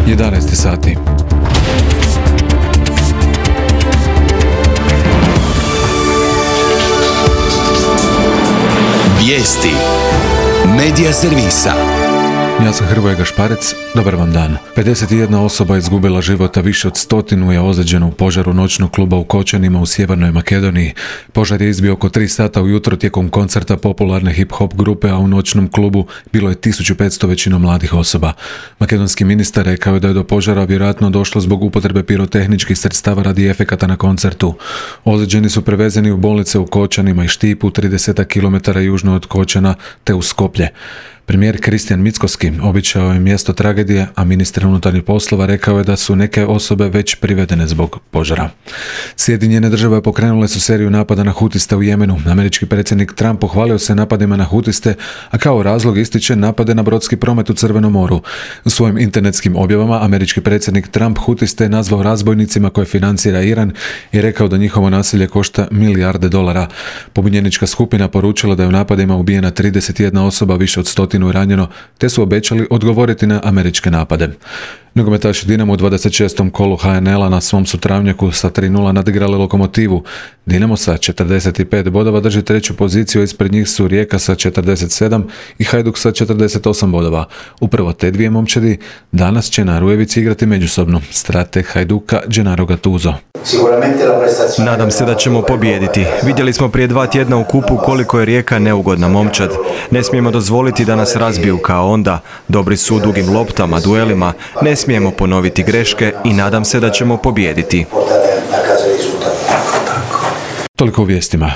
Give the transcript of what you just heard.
11 sati. Vijesti Medija servisa. Ja sam Hrvoje Gašparec, dobar vam dan. 51 osoba izgubila života, više od 100 je ozlijeđeno u požaru noćnog kluba u Kočanima u Sjevernoj Makedoniji. Požar je izbio oko 3 sata ujutro tijekom koncerta popularne hip-hop grupe, a u noćnom klubu bilo je 1500 većinom mladih osoba. Makedonski ministar rekao je da je do požara vjerojatno došlo zbog upotrebe pirotehničkih sredstava radi efekata na koncertu. Ozlijeđeni su prevezeni u bolnice u Kočanima i Štipu, 30 km južno od Kočana, te u Skoplje. Premijer Kristijan Mickoski obišao je mjesto tragedije, a ministar unutarnjih poslova rekao je da su neke osobe već privedene zbog požara. Sjedinjene države pokrenule su seriju napada na hutiste u Jemenu. Američki predsjednik Trump pohvalio se napadima na hutiste, a kao razlog ističe napade na brodski promet u Crvenom moru. U svojim internetskim objavama američki predsjednik Trump hutiste je nazvao razbojnicima koje financira Iran i rekao da njihovo nasilje košta milijarde dolara. Pobunjenička skupina poručila da je u napadima ubijena 31 osoba, više od 100 ranjeno, te su obećali odgovoriti na američke napade. Nogometaši Dinamo u 26. kolu HNL-a na svom su travnjaku sa 3:0 nadigrali Lokomotivu. Dinamo sa 45 bodova drži treću poziciju, ispred njih su Rijeka sa 47 i Hajduk sa 48 bodova. Upravo te dvije momčadi danas će na Rujevici igrati međusobno. Strateg Hajduka Gennaro Gattuso. Nadam se da ćemo pobijediti. Vidjeli smo prije 2 tjedna u kupu koliko je Rijeka neugodna momčad. Ne smijemo dozvoliti da nas razbiju kao onda. Dobri su u dugim loptama, duelima. Ne smijemo ponoviti greške i nadam se da ćemo pobijediti. Toliko u vijestima.